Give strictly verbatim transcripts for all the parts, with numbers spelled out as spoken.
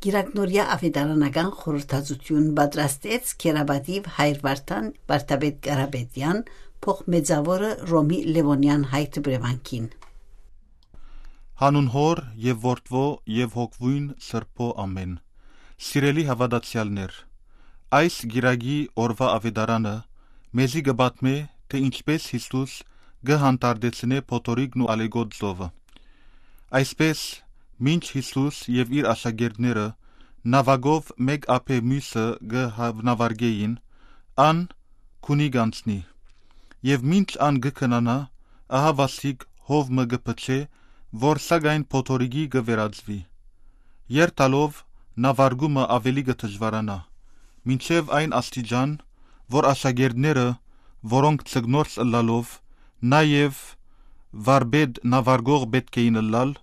Կիրակնորեայ աւետարանական խորհրդածութիւն պատրաստեց Քերապատիւ հայր Վարդան վարդապետ Կարապետեան փոխմեծաւորը Ռոմի Լեւոնեան հայ դպրեվանքին։ Հանուն Հօր եւ Որդւոյ եւ Հոգւոյն Սրբոյ, ամէն։ Սիրելի հաւատացեալներ, այս գիրագի օրուայ աւետարանը մեզի կը պատմէ, թէ ինչպէս Յիսուս կը հանդարտեցնէ փոթորիկն ու ալեկոտ ծովը։ Այսպէս, մինչ Յիսուս եւ իր աշակերտները նաւակով մէկ ափէ միւսը կը հաւնավարկէին, ան քունի կ'անցնի։ Եւ մինչ ան կը քնանայ, ահա վասիկ հով մը կը փչէ, որ սակայն փոթորիկի կը վերածուի։ Երթալով նավարկումը աւելի կը դժուարանայ, մինչեւ այն աստիճան, որ աշակերտները, որոնք ձկնորս ըլլալով, նաեւ վարպետ նավարկող պէտք էին ըլլալ,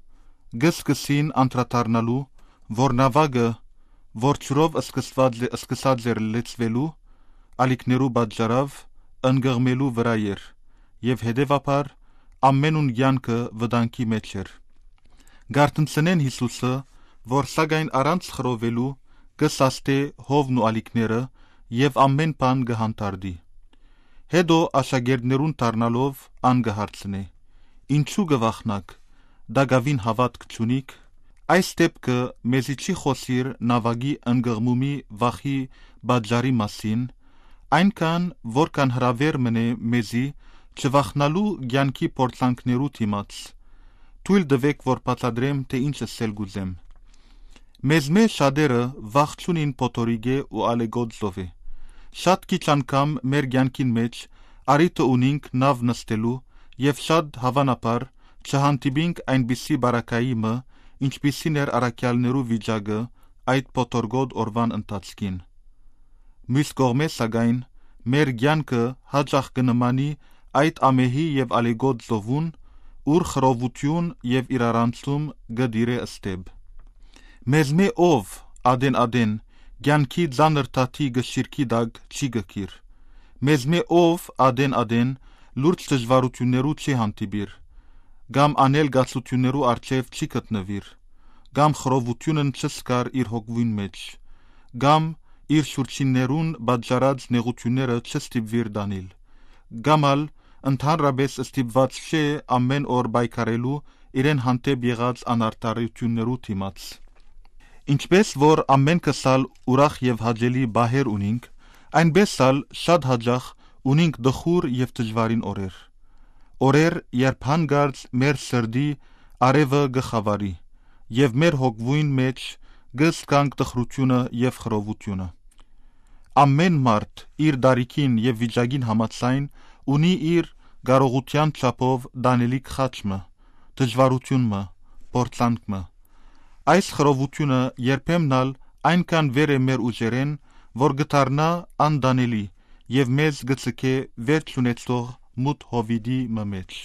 կը սկսին անդրադառնալու, որ նաւակը, որ ջուրով սկսած է, սկսած էր լեցուելու, ալիքներու պատճառաւ ընկղմելու վրայ էր եւ հետեւաբար ամէնուն կեանքը վտանգի մէջ էր։ Կ'արթնցնեն Յիսուսը, որ սակայն առանց խռովելու կը սաստէ հովն ու ալիքները եւ ամէն բան կը հանդարտի։ Հետո աշակերտներուն դառնալով ան կը հարցնէ. «Ինչու կը վախնաք, տակաւին հաւատք չունիք»։ Այս դէպքը մեզի չի խօսիր նաւակի ընկղմումի վախի պատճառի մասին, այնքան որքան հրաւեր մըն է մեզի չվախնալու կեանքի փորձանքներու դիմաց։ Թոյլ տուէք, որ բացատրեմ, թէ ինչ ըսել կ'ուզեմ։ Մեզմէ շատերը վախ չունին փոթորիկէ ու ալեկոտ ծովէ։ Շատ քիչ անգամ մեր կեանքին մէջ առիթը ունինք նաւ նստելու եւ շատ հաւանաբար չհանդիպինք այնպիսի պարագայի մը, ինչպիսին էր առաքեալներու վիճակը այդ փոթորկոտ օրուան ընթացքին։ Միւս կողմէ, սակայն, մեր կեանքը յաճախ կը նմանի այդ ամէհի եւ ալեկոտ ծովուն, ուր խռովութիւն եւ իրարանցում կը տիրէ ստեփ։ Մեզմէ ով ատեն-ատեն կեանքի ծանր թաթի կշիռքի տակ չի կքիր։ Մեզմէ ով ատեն-ատեն լուրջ դժուարութիւններու չի հանդիպիր, կամ անելգացութիւններու առջեւ չի գտնուիր, կամ խռովութիւնն չսկար իր հոգւոյն մէջ, կամ իր շուրջիններուն պատճառած նեղութիւնները չստիպուիր տանիլ, կամ ալ ընդհանրապէս ստիպուած չէ ամէն օր պայքարելու իրեն հանդէպ եղած անարդարութիւններու դիմաց։ Ինչպէս որ ամէնքս ալ ուրախ եւ հաճելի պահեր ունինք, այնպէս ալ շատ յաճախ ունինք տխուր եւ դժուարին օրեր։ Օրեր, երբ յանկարծ մեր սրտի արեւը կը խաւարի եւ մեր հոգւոյն մէջ կը զգանք տխրութիւնը եւ խռովութիւնը։ Ամէն մարդ իր տարիքին եւ վիճակին համաձայն ունի իր կարողութեան չափով տանելիք խաչ մը, դժուարութիւն մը, փորձանք մը։ Այս խռովութիւնը երբեմն ալ այնքան վեր է մեր ուժերէն, որ կը դառնայ անտանելի եւ մեզ կը ձգէ վեր չունեցող մութ հովիտի մը մէջ։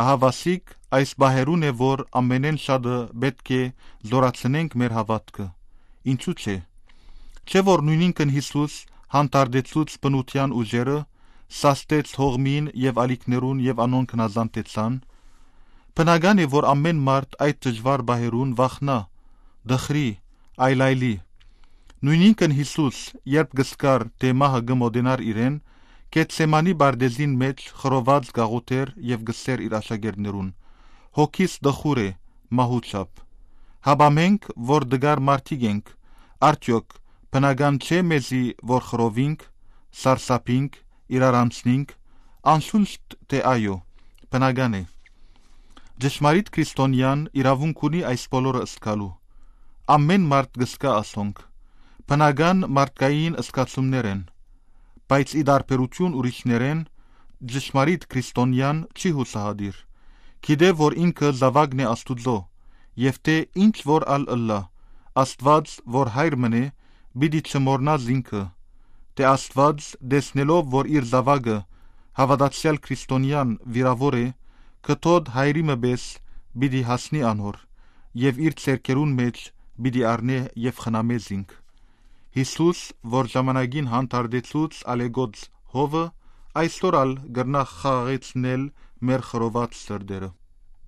Ահա վասիկ այս պահերուն է, որ ամենէն շատը պէտք է զօրացնենք մեր հաւատքը։ Ինչու՞ չէ։ Չէ՞ որ նոյնինքն Յիսուս հանդարտեցուց բնութեան ուժերը, սաստեց հողմին եւ ալիքներուն եւ անոնք հնազանդեցան։ Բնական է, որ ամէն մարդ այդ դժուար պահերուն վախնայ, տխրի, այլայլի։ Նոյնինքն Յիսուս, երբ կը զգար, թէ մահը կը մօտենար իրեն, Գեթսեմանի պարտէզին մէջ խռոված կ'աղօթէր եւ կ'ըսէր իր աշակերտներուն. «Հոգիս տխուր է մահու չափ»։ Հապա մենք, որ տկար մարդիկ ենք, արդեօք բնական չէ՞ մեզի, որ խռովինք, սարսափինք, իրարանցնինք, անշուշտ թէ այո, բնական է։ Ճշմարիտ քրիստոնեան իրաւունք ունի այս բոլորը զգալու։ Ամէն մարդ կը զգայ ասոնք։ Բնական մարդկային զգացումներ են, բայց ի տարբերութիւն ուրիշներէն, ճշմարիտ քրիստոնեան չի յուսահատիր։ Գիտէ, որ ինքը զաւակն է Աստուծոյ, եւ թէ ինչ որ ալ ըլլայ, Աստուած, որ հայր մըն է, պիտի չմոռնայ զինքը, թէ Աստուած, տեսնելով որ իր զաւակը, հաւատացեալ քրիստոնեան վիրաւոր է, կը թոդ հայրի մը պէս պիտի հասնի անոր եւ իր ձեռքերուն մէջ պիտի առնէ եւ խնամէ զինք։ Յիսուս, որ ժամանակին հանդարտեցուց ալեկոծ հովը, այսօր ալ կրնայ խաղաղեցնել մեր խռոված սրտերը։